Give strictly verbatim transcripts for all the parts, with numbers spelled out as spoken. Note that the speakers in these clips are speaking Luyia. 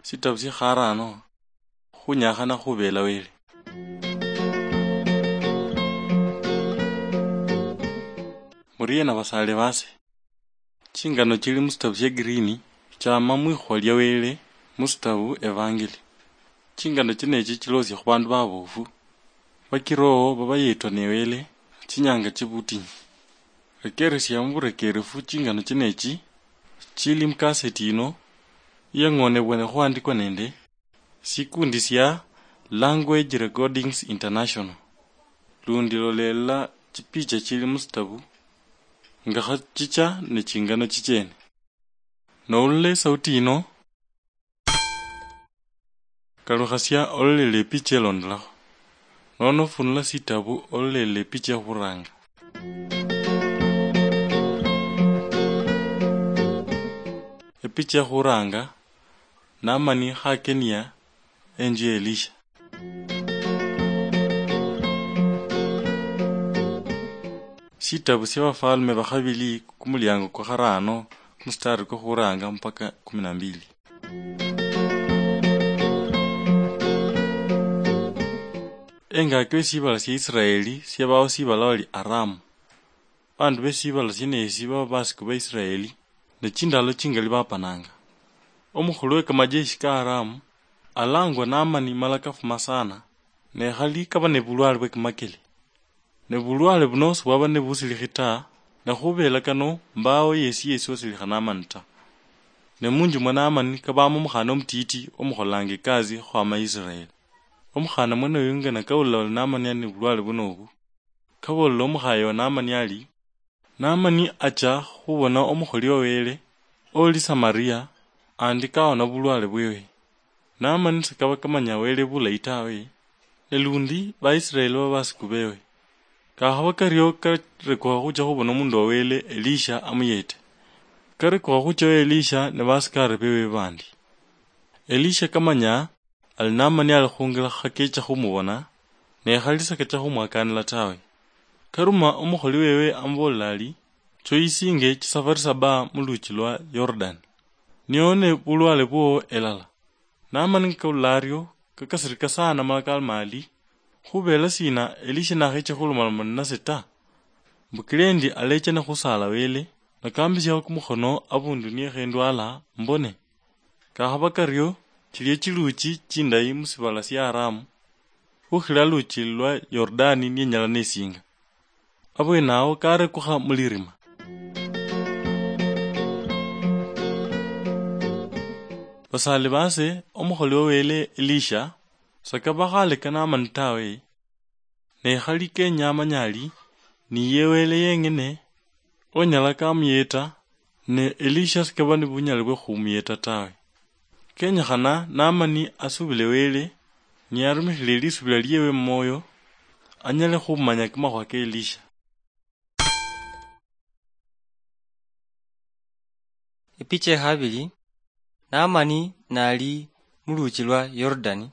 Sitabu sya kharano, khunyakhana khubela Wele. Muriena basale base? Chingano chili musitabu sya Green chama mwikhuwa lya Wele musitabu Evangeli. Chingano chenechi chilosia khubandu babofu, bakiroho babayetwa ne Wele chinyanga chibutinyu. Rekeresia muburekerefu chingano chenechi chili mukaseti ino, iyang'onebwene khuandikwa nende sikundi sia Language Recordings International. Lundi lolelela chipicha chili musitabu nga khachicha ne chingano chichene. Noulula esauti yino, kalukhasia ololele epicha elondolakho, nono funula sitabu ololele epicha ekhuranga. Epicha ekhuranga, Namani khakenia enju ya Elisha. Shitabu shia Bafalme ba Khabili, kumuliango kwa kharano, kumustari kwa khuranga mpaka kumi na mbili. Engaki we shibala shia Israeli shiabawo shibala bali Aramu. Bandu be shibala shieneshi baba basiku ba Israeli, ne chindalo chingali bapananga. Omukhulu we kamajeshi ka Aramu alangwa Namani mala kafuma sana, ne khali kaba ne bulwale bwe kamakeli. Ne bulwale buno sibwaba ne busilikhi ta, ne khubela kano mbawo yesi yesi osilikha Namani ta. Ne munju mwa Namani kabamo omukhana omutiti omukholanga ekasi khwama Israeli. Omukhana mwene oyo nga nakawulila oli Namani ali ne bulwale buno obu, kaboolela omukhaye wa Namani ali, Namani acha khubona omukholi wa Wele oli Samaria, andi kawona bulwale bwewe. Namani sikaba kamanya Wele bulayi tawe, ne lundi Baisraeli baba basiku bewe. Kakhaba kario karekukha khucha khubona omundu wa Wele Elisha amuyete. Karekukha khucha wa Elisha ne basikari bewe bandi. Elisha kamanya ali Namani ali khungila khakecha khumubona, ne khali sakacha khumwakanila tawe. Karuma omukholi wewe amubolela ali, choisinge chisafari saba muluchi lwa Yordani, nione bulwale bwowo elala. Namani nga kawulila ario, kakasirika sana mala kaloma ali, khubela sina Elisha nakhecha khulomaloma ninase ta? Mbukile endi alecha nikhusala Wele, nakambisiakho kumukhono abundu niekhendwala mbone. Kakhaba kario, chilia chiluchi chindayi musibala sia Aramu, khukhila luchi lwa Yordani nienyala nesinga. Abwenawo karekukha mulirima. Basali base, omukholi wa Wele Elisha, sakaba khaleka Namani tawe, ne khali kenya amanye ali, niye Wele yeng'ene onyala kamuyeta, ne Elisha sikaba ni bunyali bwe khumuyeta tawe. Kenyekhana Namani asubile Wele, niye arumikhile lisubila liewe mumwoyo, anyale khumanya kamakhuwa ka Elisha. Epicha ya khabili, Namani nali muluchi lwa Yordani.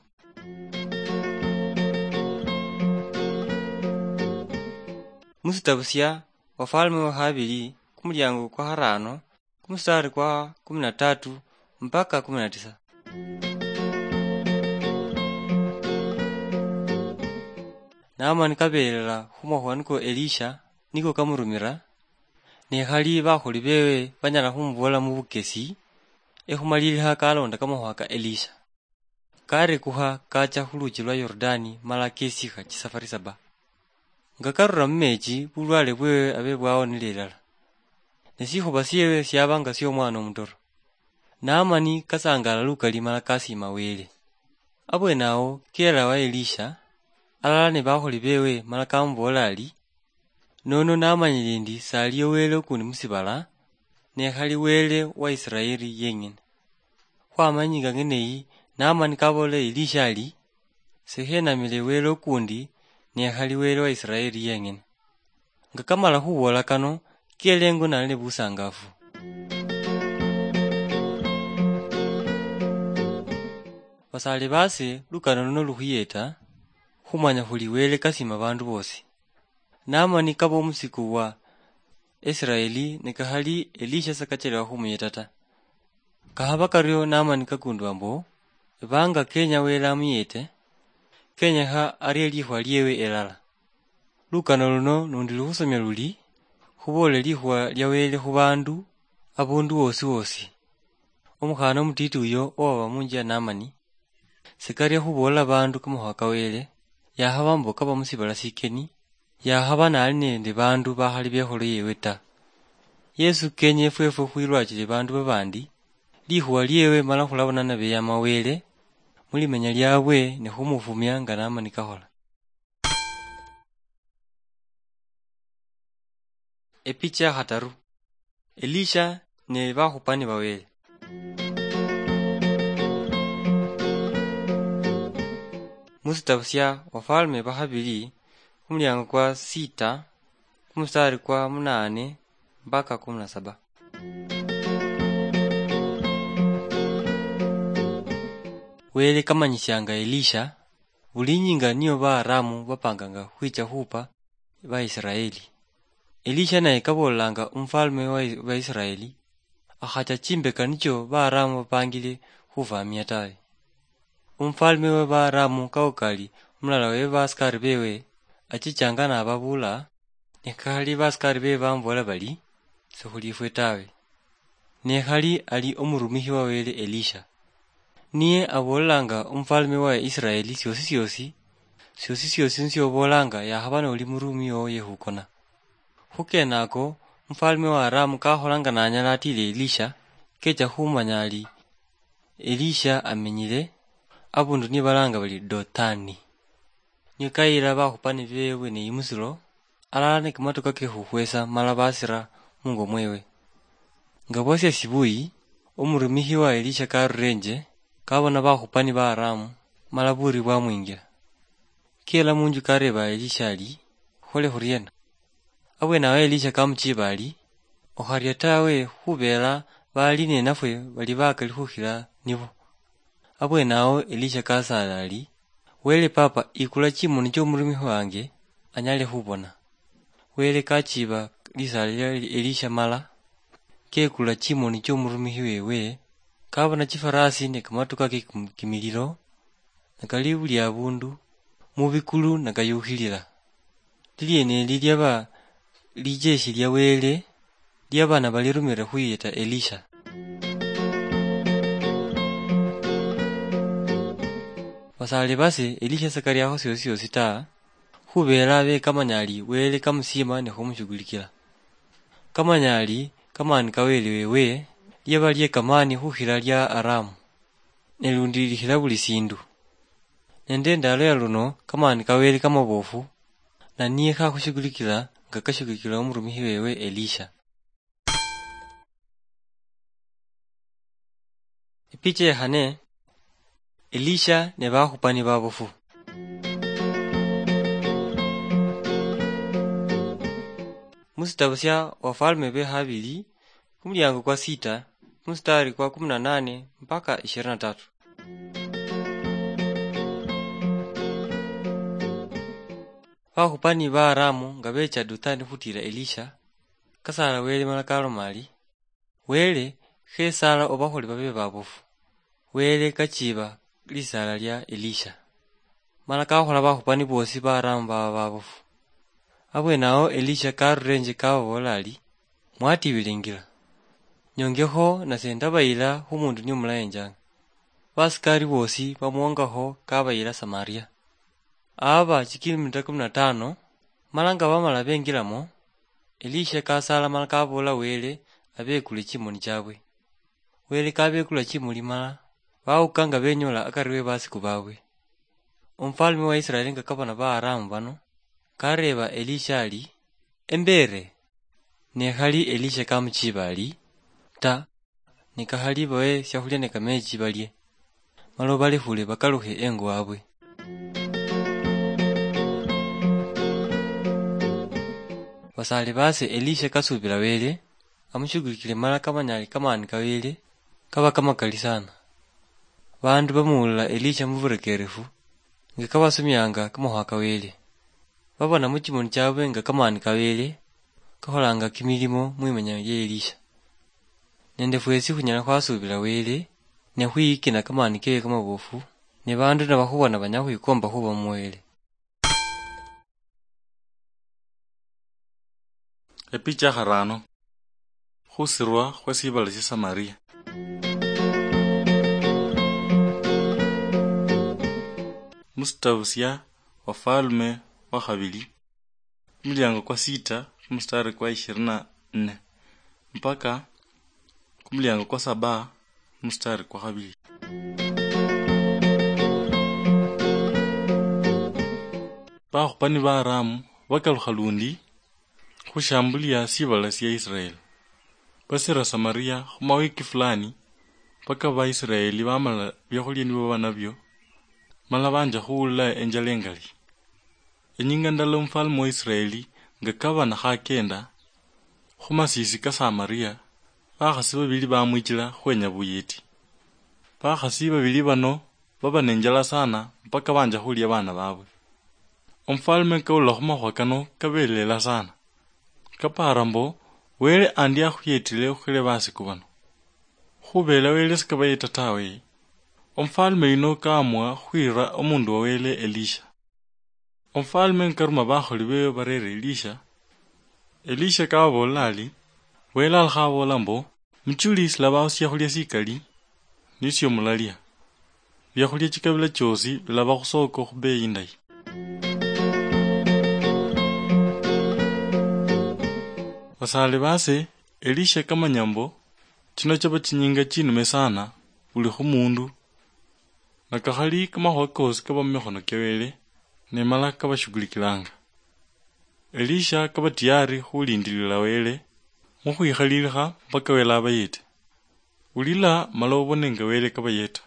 Musitabu sia Wafalme wa khabili, kumuliango kwa kharano, kumustari kwa kumi na tatu mpaka kumi na tisa. Namani kabelela khumakhuwa niko Elisha niko kamurumira, ne khali bakholi bewe banyala khumubola mubukesi, ekhumalilikha kalonda kamakhuwa ka Elisha. Karekukha kacha khuluchi lwa Yordani mala kesikha chisafari saba. Nga karura mumechi, bulwale bwewe abe bwawonile ilala. Ne sikhuba siewe siaba nga siomwana omutoro. Namani kasangalala lukali mala kasiima Wele. Abwenawo kela wa Elisha, alala ne bakholi bewe mala kamuboolera ari, "Nono namanyile ndi saliyo Wele ukundi musibala, ne khali Wele wa Isiraeli yeng'ene." Khwamanyinga ng'ene yi, Namani kaboolera Elisha ari, "Sekhenamile Wele ukundi, ne khali Wele wa Isiraeli yeng'ene." Nga kamala khuboola kano, kele ingo nali ne busangafu. Basale base, lukano luno lukhuyeta khumanya khuli Wele kasima bandu bosi. Namani kaba omusiku wa Israeli, ne kahali Elisha sakachelewa khumuyeta ta. Kahaba kario Naamani kakundwa mbu, ebanga kenya Wele amuyete, kenyekha arie likhuwa liewe elala. Lukano luno nundi lukhusomia luli, khuboole likhuwa lia Wele khu bandu, abundu wosi wosi. Omukhana omutiti uyo owaba munju ya Naamani, sikaria khuboolela bandu kamakhuwa ka Wele, yakhaba mbu kaba musibala sikeni, yakhaba nali nende bandu bakhali bekholo yewe ta. Yesu kenye efwefwe khwilwachile bandu babandi, likhuwa liewe mala khulabona nabeyama Wele, mulimenya liabwe ne khumufumia nga Naamani kakhola. Epicha ya khataru. Elisha ne bakhupani ba Wele. Musitabu sia Wafalme ba Khabili, khumuliango kwa sita, khumustari kwa munane mpaka kumi na saba. Wele kamanyisianga Elisha, buli inyinga niyo Baaramu bapanganga khwicha khupa Baisiraeli. Elisha naye kaboolanga omufalme wa Baisiraeli, akhacha chimbeka nicho Baaramu bapangile khufamia tawe. Omufalme wa Baaramu kaukali omulala we basikari bewe achichanga nababuula, ne khali basikari bewe bamuboola bali, sikhuli ifwe tawe. Ne khali ali omurumikhi wa Wele Elisha. Niye aboolelanga omufalme wa Israeli siosi siosi, siosi siosi nisio oboolanga yakhaba noli murumi wowo yekhukona. Khukenako, omufalme wa Aramu kakholanga nanyala atile Elisha, kecha khumanya ali Elisha amenyile abundu niye balanga bali Dotani. Niye kayila bakhupani bewe ne imusilo, alala ne kamatoka ke khukhwesa mala basira mungo mwewe. Nga bwasia sibuyi, omurumikhi wa Elisha karurenje, kabona bakhupani ba Aramu, mala buri bwamwingila. Kela munju kareba Elisha ali, "Khole khuriena?" Abwenawo Elisha kamuchiba ali, "Okharia tawe, khubela bali nenafwe bali bakali khukhila nibo." Abwenawo Elisha kasaala ali, "Wele Papa, ikula chimoni chomurumikhi wange, anyale khubona." Wele kachiba lisaala lia Elisha mala kekula chimoni chomurumikhi wewe, kabona chifarasi ne kamatuka ke kim-, kimililo, nakali buli abundu, mubikulu nakayukhilila. Lilieneli liaba lijeshi lia Wele, lia bana balirumire khuyeta Elisha. Basale base Elisha sakariakho siosi siosi ta, khubera bekamanya ali Wele kamusiima ne khumushugulikila. Kamanya ali kamani ka Wele wewe, liaba liekamani khukhila lia Aramu. Ne lundi likhila buli sindu. Nende endalo ya luno, kamani ka Wele kamabofu, na niye kakhushugulikila nga kashugulikila omurumikhi wewe Elisha. Epicha ya khane, Elisha ne bakhupani babofu. Musitabu sia Wafalme be Khabili, kumuliango kwa sita, kumustari kwa kumi na nane mpaka ishirini na tatu. Bakhupani ba Aramu nga becha Dothani khutila Elisha, kasaala Wele mala kaloma ali, "Wele, khesala obakhole babe babofu." Wele kachiba lisaala lia Elisha, mala kakhola bakhupani bosi ba Aramu baba babofu. Abwenawo Elisha karurenje kababola ali, "Mwatibile ingira. Nyongekho nase ndabayila khumundu niyo mulayenjanga." Basikari bosi bamuwongakho kabayila Samaria. Aba chikilomita kumi na tano, mala nga bamala bengilamo, Elisha kasaala mala kabola Wele abekule chimoni chabwe. Wele kabekula chimoni mala bawuka nga benyola akari we basiku babwe. Omufalme wa Israeli nga kabona ba Aramu bano, kareba Elisha ali, "Embere?" Ne khali Elisha kamuchiba ali, "Ta, ne kakhali bawe siakhulia ne kamechi balie, mala obalekhule bakalukhe engo wabwe." Basale base Elisha kasubila Wele, amushugulikile mala kamanyali kamani ka Wele kaba kamakali sana. Bandu bamuwulila Elisha muburekerefu, nga kabasomianga kamakhuwa ka Wele. Babona muchimoni chabwe nga kamani ka Wele, kakholanga kimilimo mwimenya lie Elisha. Nende fwesi khunyala khwasuubila Wele, ne khwiyikina kamani kewe kamabofu, ne bandu nibakhubona banyala khwikomba khuba mu Wele. Epicha ya kharano. Khusirwa khwe sibala sia Samaria. Musitabu sia Wafalme wa khabili, kumuliango kwa sita, kumustari kwa ishirini na nne, mpaka kumuliango kwa saba, kumustari kwa khabili. Bakhupani ba Aramu bakalukha lundi khushambulia sibala sia Israeli. Basira Samaria khumawiki fulani, mpaka Baisraeli bamala biakhulia nibaba nabio, mala banja khuwulila enjala engali. Enyinga ndala omufalme wa Israeli nga kaba nakhakenda khumasisi ka Samaria, bakhasi babili bamwichila khwenya buyeti. Bakhasi babili bano baba nenjala sana mpaka banja khulia bana babwe. Omufalme kawulila khumakhuwa kano kabelela sana. Kapara mbo, Wele andi akhuyetile okhukila basiku bano. Khubela Wele sikabayeta tawe. Omufalme yuno kaamua khwira omundu wa Wele Elisha. Omufalme nikaruma bakholi bewe barera Elisha, Elisha kababool'la ari, Wele alakha aboola mbo, muchuli silabaho siakhulia sikali, nisio mulalia. Biakhulia chikabila chiosi bilaba khusoko khubeyi indayi. Basale base, Elisha kamanya mbo, chino chaba chinyinga chinume sana buli khumundu, nakakhali kamakhuwa kosi kaba mumikhono kia Wele, ne mala kabashughulikilanga. Elisha kaba tiyari khulindilila Wele mukhwikhalilikha mpaka Wele abayete. Wulila mala obone nga Wele kabayeta.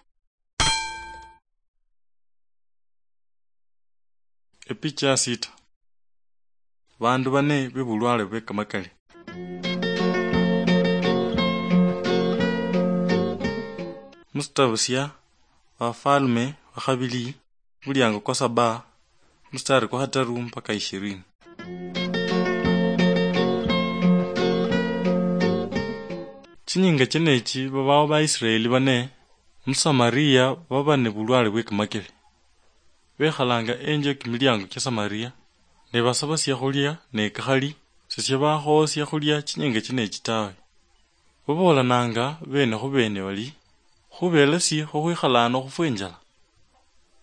Epicha ya sita. Bandu bane bebulwale bwe kamakali. Musitabu sia Bafalme bakhabili, muliango kwa saba, mustari kwa khataru mpaka ishirini. Chinyinga chenechi babawo Baisraeli bane mu Samaria baba ne bulwale bwe kamakele. Bekhalanga enje kimiliango kia Samaria, ne basaba siakhulia, ne kakhali sesiabakhowo siakhulia chinyinga chenechi tawe. Baboolananga bene khu bene bali, khubelesi khukhwikhala ano khufwe injala.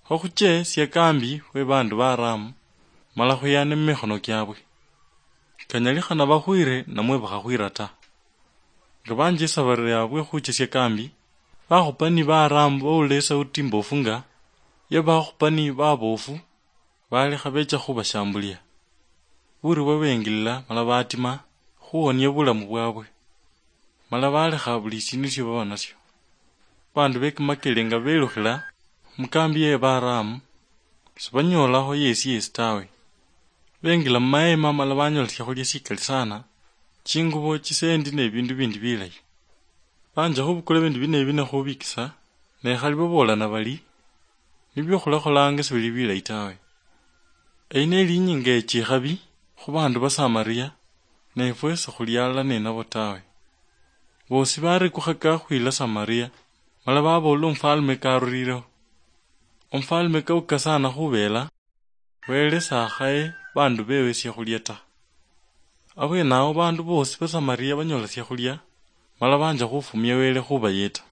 Kho khuche siakambi we bandu ba Aramu, mala khuyane mumikhono kiabwe. Kanyalikhana bakhwire namwe bakhakhwira ta. Nga banjesa baria bwe khuche siakambi, bakhupani ba Aramu bawulila esauti mbofu nga ya bakhupani babofu, balekha becha khubashambulia. Buri bwabengilila mala batima khuwonia bulamu bwabwe. Mala balekha buli sindu sio baba nasio. Bandu be kimakele nga belukhila mukambi ye Baramu, sibanyoolakho yesi yesi tawe. Bengila mumayema mala banyola siakhulia sikali sana, chingubo, chisendi ne bindu bindi bilayi. Banja khubukula bindu bine bine khubikisa, ne khali babolana bali, nibio khulakholanga sibili bilayi tawe. Eyi neli inyinga ye chikhabi khu bandu ba Samaria, ne ifwe sikhulialala ninabo tawe. Bosi barekukhaka khwila Samaria, mala babool'la omufalme karurireho. Omufalme kauka sana khubela, Wele sakhaye bandu bewe siakhulia ta. Abwenawo bandu bosi ba Samaria banyola siakhulia, mala banja khufumia Wele khubayeta.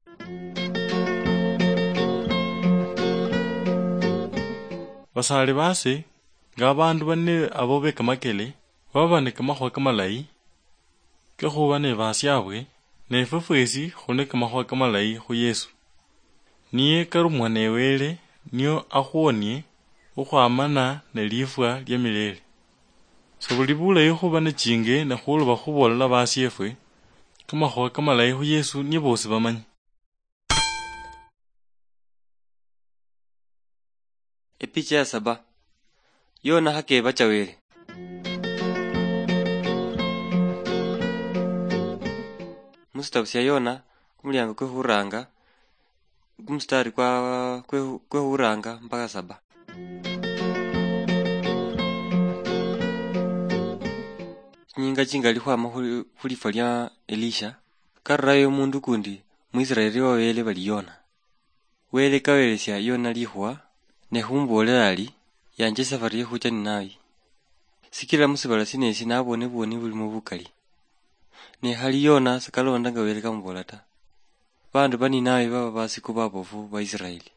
Basale base, nga abandu bane abo be kamakele, baba ne kamakhuwa kamalayi, ke khuba ne basiabwe, ne ifwe fwesi khuli ne kamakhuwa kamalayi khu Yesu. Niye karumwa ne Wele, nio akhuonie khukhwamana ne lifwa lia milele. Sebuli bulayi khuba ne chinge ne khuloba khuboolela basiefwe kamakhuwa kamalayi khu Yesu nie bosi bamanye. Epicha ya saba. Yona hakebacha Wele. Musitabu sia Yona, kumuliango kwe khuranga, kumustari kwa, kwe, kwe khuranga mpaka saba. Nyinga chingali khwama khu, khu lifwa lia Elisha, karurayo omundu kundi mu Israeli wa Wele bali Yona. Wele kawelesia Yona likhuwa, ne khumuboolela ari, yanje safari yekhucha Ninawi. Sikila musibala sinesi nabone bwoni bulimo bukali. Ne khali Yona sakalonda nga Wele kamubola ta. Bandu ba Ninawi baba basiku babofu ba Israeli.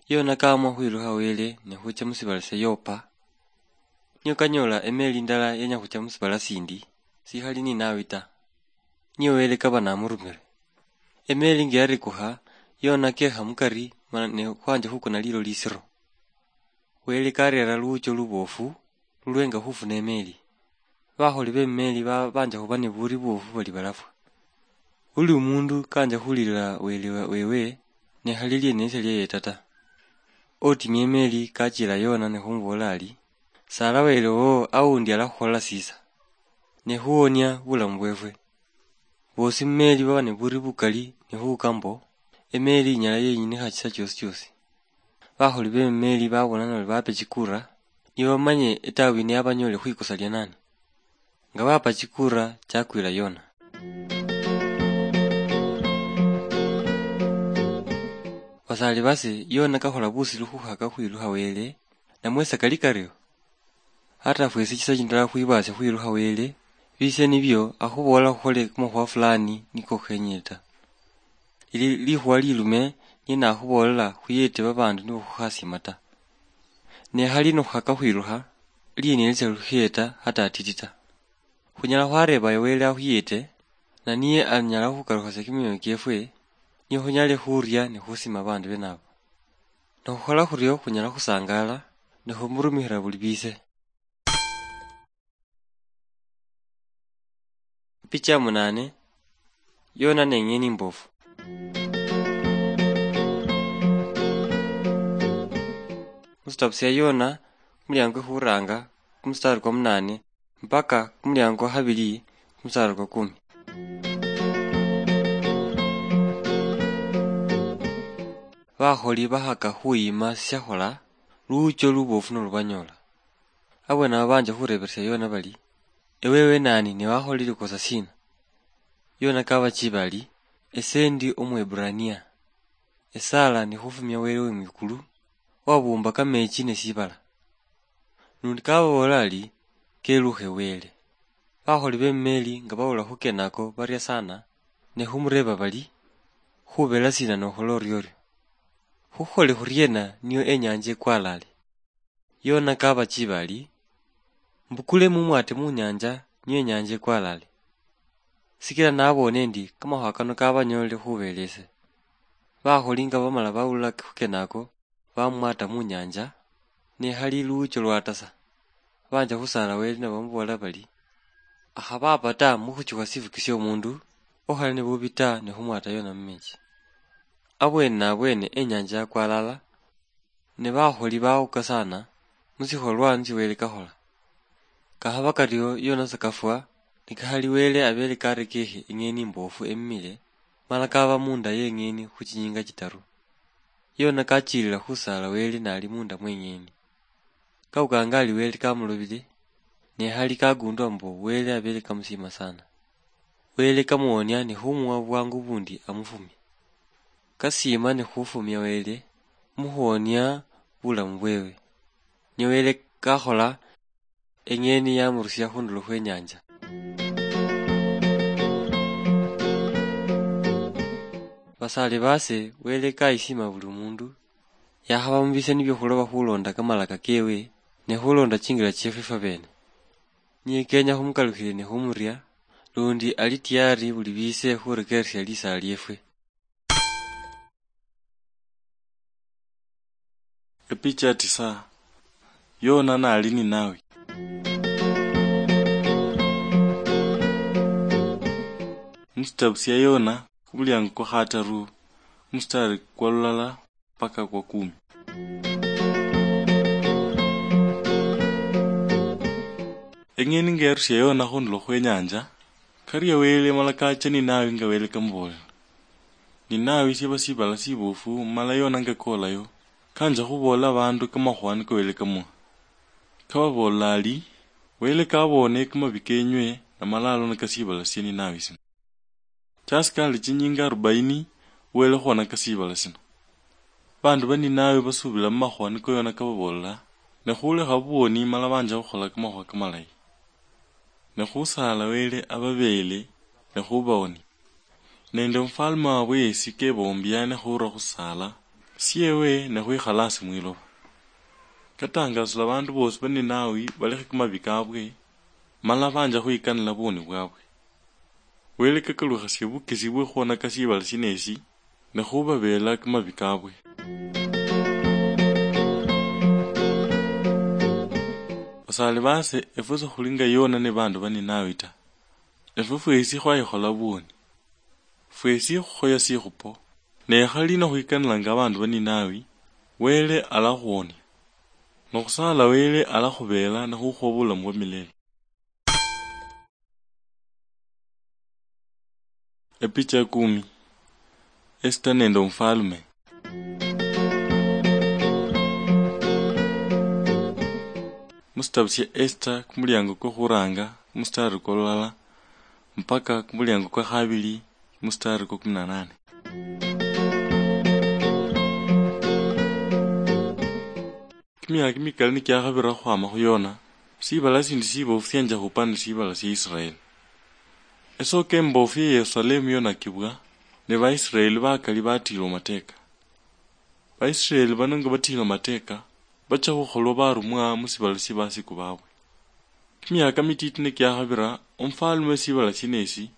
Yona kaamua khwilukha Wele ne khucha musibala sia Yopa. Nio kanyola emeli indala yenya khucha musibala sindi, sikhali Ninawi ta. Nio Wele kaba namurumire. Emeli nga yarekukha, Yona kekha mukari, mana ne khwanja khukona lilo lisiro. Wele karera luwucho lubofu, lulwenga khufuna emeli. Bakholi be mumeli ba-, banja khuba ne buri buofu bali balafwa. Buli omundu kanja khulilila Wele wa-, wewe, ne khali lienesa lieyeta ta. Otimia emeli kachila Yona ne khumubola ari, sala Wele wowo aundi alakhukholela sisa, ne khuwonia bulamu bwefwe. Bosi mumeli baba ne buri bukali ne khuuka mbo, emeli inyala yenyinikha chisa chiosi chiosi. Bakholi be mumeli babona noli bape chikura, nibo bamanye etabu yino yabanyoole khwikosa lia nani. Nga bapa chikura, chakwila Yona. Basali base, Yona kakhola busilu khukhaka khwilukha Wele, namwe sakali kario? Ata fwesi chisa chindala khwibasya khwilukha Wele, bise nibio akhubola khukhole kamakhuwa fulani niko khenyile ta. Ili likhuwa lilume niye nakhubolela khuyete babandu nibo khukhasima ta. Ne khali nikhukhaka khwilukha, lienelesya lukheeta hata atiti ta. Khunyala khwareeba Wele akhuyete, na niye anyala khukalukhasya kimioyo kiefwe, niye khunyale khuria ne khusima babandu benabo. Nikhukhola khurio khunyala khusangaala, ne khumurumikhila buli bise. Picha ya munane, Yona ne ing'eni imbofu. Musitabu sia Yona, kumuliango kwe khuranga, kumustari kwa munane, mpaka kumuliango kwa khabili, kumustari kwa kumi. Bakholi bakhaka khuyima siakhola, luucho lubofu nolubanyola. Abwene abo banja khureberesia Yona bali, ewewe nani ne wakholile likosa sina? Yona kabachiba ali, ese ndi Omweburania. Esala ni khufumia Wele we mwikulu, wabumba kamechi ne sibala. Nundi kababola ali, kelukhe Wele. Bakholi be mumeli nga bawula khukena ako baria sana, ne khumureeba bali, khubela sina nokhola oriorio? Khukhole khuriena nio enyanja ekwalale? Yona kabachiba ali, mbukule mumwate munyanja nio enyanja ekwalale. Sikila nabone endi kamakhuwa kano kabanyoolele khubelese. Bakholi nga bamala bawulila khukena ako, bamwata munyanja, ne khali luwucho lwatasa. Banja khusaala Wele nibamuboolera bali, akhaba apa ta mukhuchukha sifuki siomundu, okhali nibubi ta nikhumwata Yona mumechi. Abwene nabwene enyanja yakwalala, ne bakholi bawuka sana musikholwa nisio Wele kakhola. Kakhaba kario Yona sakafwa, nikakhali Wele abele karekekhe ing'eni imbofu emimile, mala kaba munda yeng'eni khuchinyinga chitaru. Yona kachilila khusaala Wele nali munda mweng'eni. Kawukanga ali Wele kamulobile, ne khali kagundwa mbu Wele abele kamusiima sana. Wele kamuwonia ne khumuwa bwangu bundi amufumie. Kasiima ne khufumia Wele mukhuwonia bulamu bwewe. Ne Wele kakhola eng'eni yamurusia khundulo khwenyanja. Basaale baase, Wele kayisiima buli mundu, yakhaba mubise nibio khuloba khulonda kamalaka kewe, ne khulonda chingira chiefwe fwabeene. Niye kenya khumukalukhile ne khumuria, lundi ali tiyari buli bise khurekeresia lisaala liefwe. Epicha ya tisa. Yona nali Ninawi. Musitabu sia Yona, kumuliango kwa khataru, musitari kwa lulala paka kwa kumi. Eng'eni nga yarusia Yona khundulo khwenyanja, karia Wele mala kacha Ninawi nga Wele kamubolela. Ninawi siaba sibala sibufu, mala Yona nga kolayo, kanja khubolela abandu kamakhuwa niko Wele kamuha. Kababolela ali, Wele kaboone kamabi kenywe, namala alonaka sibala sie Ninawi sino. Chasikali chinyinga arubaini, Wele khwonaka sibala sino. Bandu ba Ninawi basubila mumakhuwa niko Yona kababoolela, ne khulekha buwoni mala banja khukhola kamakhuwa kamalayi. Ne khusaala Wele ababeele, ne khubawonia. Nende omufalme wabwe yesi kebombia ne khura khusaala siewe ne khwikhala asi mwiloba. Katangasula bandu bosi ba Ninawi balekhe kamabi kabwe, mala banja khwikanila buwoni bwabwe. Wele kakalukhasia bukesi bwe khwonaka sibala sinesi, ne khubabeela kamabi kabwe. Basaali base, efwe sikhuli nga Yona ne bandu ba Ninawi ta. Efwe fwesi khwayikhola buwoni. Fwesi khukhoya sikhupo, ne khali nokhwikanilanga abandu ba Ninawi, Wele alakhuwonia. Nokhusaala Wele alakhubeela nakhukhuwa bulamu bwa milele. Epicha ya kumi. Esita nende omufalme. Musitabu sia Esita, kumuliango kwa khuranga, kumustari kwa lulala, mpaka kumuliango kwa khabili, kumustari kwa kumi na nane. Kimiaka kimikali nikiakhabira khukhwama khu Yona, sibala sindi sibofu sienja khupande sibala sia Israeli. Esoko embofu ya Yerusalemu yonakibwa, ne Baisraeli bakali batilwa mateka. Baisraeli bano nga batilwa mateka, bacha khukholwa barumwa musibala sia basiku babwe. Kimiaka mititi nikiakhabira, omufalme wesibala sienesi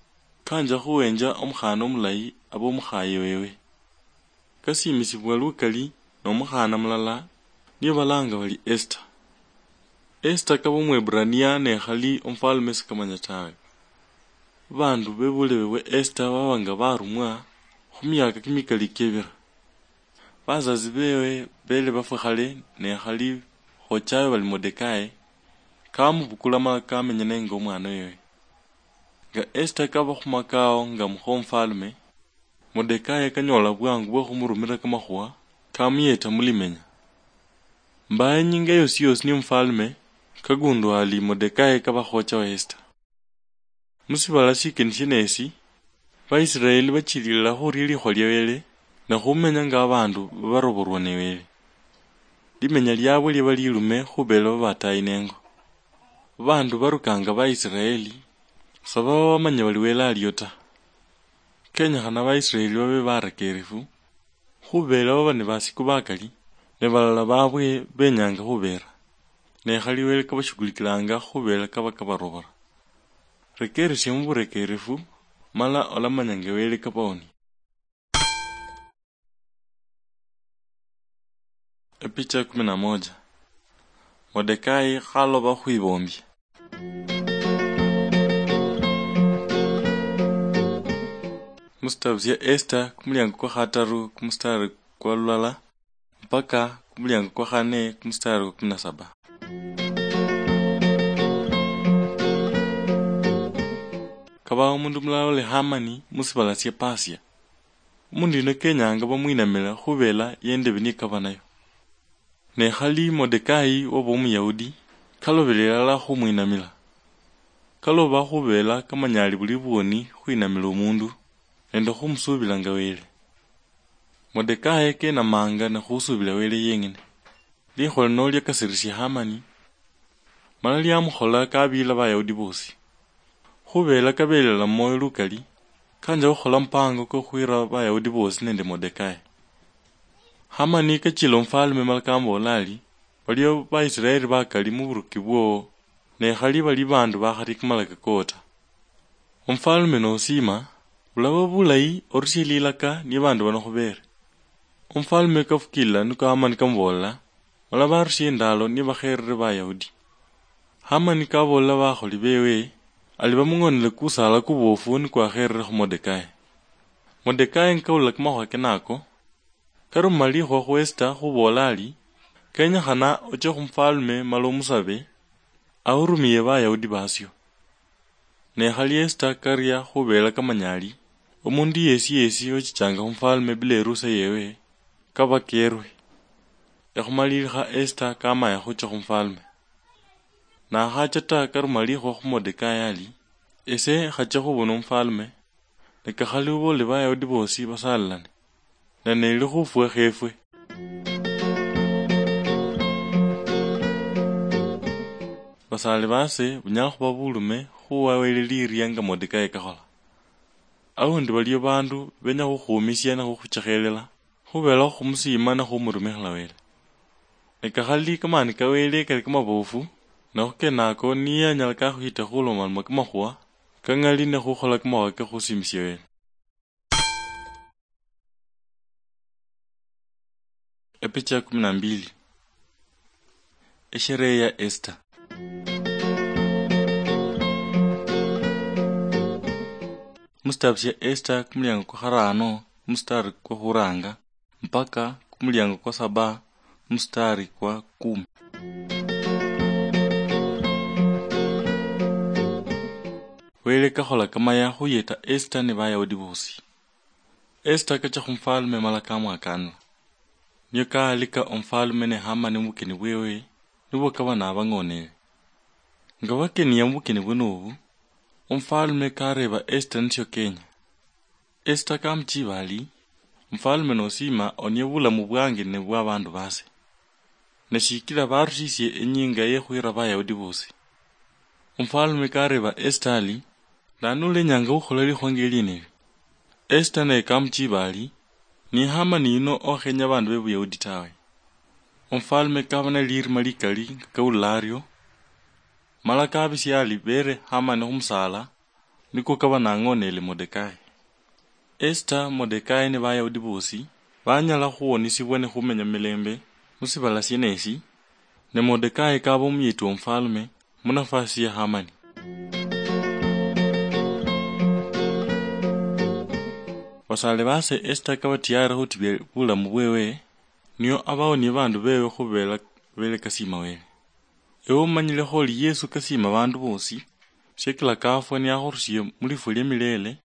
kanja khuhenja omukhana omulayi abe omukhaye wewe. Kasiimisibwa lukali nomukhana mulala, niye balanga bali Esita. Esita kaba Omweburania, ne khali omufalme sikamanya tawe. Babandu bebulebe bwa Esita baba nga barumwa khumiaka kimikali kiebira. Bazazi bewe bele bafwa khale, ne khali khochawe bali Modekai, kamubukula mala kamenya nenge omwana wewe. Nga Esita kaba khumakao nga mukha omufalme, Modekai kanyola bwangu bwa khumurumira kamakhuwa kamuyeta mulimenya. Mbaye inyinga yosi yosi ni omufalme, kagundwa ali Modekai kaba khocha wa Esita. Musibala sikeni sienesi, Baisraeli bachililila khuria likhuwa lia Wele, ne khumenya nga abandu babaroborwa ne Wele. Limenya liabwe liaba lilume khubela babatayi nengo. Babandu barukanga Baisraeli, sababa bamanya bali Wele alio ta. Kenyekhana Baisraeli babe barekerefu, khubela baba ni basiku bakali, ne balala babwe benyanga khubera. Ne khali Wele kabashughulikilanga khubela kaba kabarobora. Rekeresia muburekerefu, mala olamanya nga Wele kabaonia. Epicha ya kumi na moja. Modekai khaloba khwibombia. Musitabu sia Esita, kumuliango kwa khataru, kumustari kwa lulala, mpaka kumuliango kwa khane, kumustari kwa kumi na saba. Kabaho omundu mulala oli Hamani musibala sia Pasia. Omundu yuno kenyanga bamwinamila khubela yendebi nikaba nayo. Ne khali Modekai waba Omuyahudi, kalobelela ilala khumwinamila. Kaloba khubela kamanyali buli bwoni khwinamila omundu, nende khumusuubila nga Wele. Modekai kenamanga ne khusubila Wele yeng'ene. Likhuwa lino liakasirisia Hamani, mala liamukhola kabiila Bayahudi bosi. Khubela kabelela mumwoyo lukali, kanja khukhola mupango kwa khwira Bayahudi bosi nende Modekai. Hamani kachila omufalme mala kamuboola ari, "Baliyo Baisraeli bakali muburuki bwowo, ne khali bali bandu bakhali kamalaka koo ta." Omufalme nosima, bulaba bulayi orusie lilaka ni bandu bano khubere. Omufalme kafukilila niko Hamani kamuboolela, mala barusia endalo nibakherere Bayahudi. Hamani kaboolela bakholi bewe, ali bamung'onele kusaala kubofu nikwakherere khu Modekai. Modekai nikawulila kamakhuwa kenako, karuma likhuwa khu Esita khuboola ari, "Kenyekhana ochie khu mufalme mala omusabe, ahurumiye Bayahudi basio." Ne khali Esita karia khubela kamanya ari, omundu yesi yesi ochichanga khumufalme bila erusa yewe, kaba kerwe. Ekhumalilikha Esita kamaya khucha khumufalme. Nakhacha ta karuma likhuwa khu Modekai ali, "Ese khache khubona omufalme, ne kakhali obolele Bayahudi bosi basalilane, ne neli khufwa khefwe." Basale base bunyala khuba bulume khuwa Wele liria nga Modekai kakhola. Aundi baliyo bandu benya khukhumisia ne khukhuchekhelela, khubela khumusiima ne khumurumikhila Wele. Ne kakhali kamani ka Wele kali kamabofu, ne khukenako niye anyala kakhwita khulomaloma kamakhuwa kang'ali ne khukhola kamakhuwa ke khusiimisia Wele. Epicha ya kumi na mbili. Esherehe ya Esther. Musitabu sia Esther kumuliango kwa kharano, musitari kwa khuranga, mpaka kumuliango kwa saba, musitari kwa kumi. Wele kakhola kamaya khuyeta Esther ne Bayahudi bosi. Esther kacha khumufalme mala kamwakanila. Nio kaalika omufalme ne Hamani mubukeni bwewe, nibwo kaba nabang'onele. Nga bakenia mubukeni bwene obu, omufalme kareeba Esther nisio kenya. Esther kamuchiba ali, "Omufalme nosiima onie bulamu bwange ne bwa bandu base. Ne shikila barusisie inyinga ye khwira Bayahudi bosi." Omufalme kareeba Esther ali, "Nani ulenyanga khukhola likhuwa ngelieneli?" Esther naye kamuchiba ali, "Ni Hamani yuno okhenya bandu be Buyahudi tawe." Omufalme kaba ne lirima likali nga kawulila ario, mala kabisia ali bere Hamani khumusala, niko kaba nang'onele Modekai. Esther, Modekai ne Bayahudi bosi banyala khuwonisibwa ne khumenya milembe musibala sienesi, ne Modekai kaba omuyeti womufalme munafasi ya Hamani. Basale base Esther kaba tiyari khutibia bulamu bwewe, nio abawonie bandu bewe khubela bele kasiima Wele. Ewe omanyilekho oli Yesu kasiima bandu bosi, shekila kafwa niakhurusie mulifwa lia milele,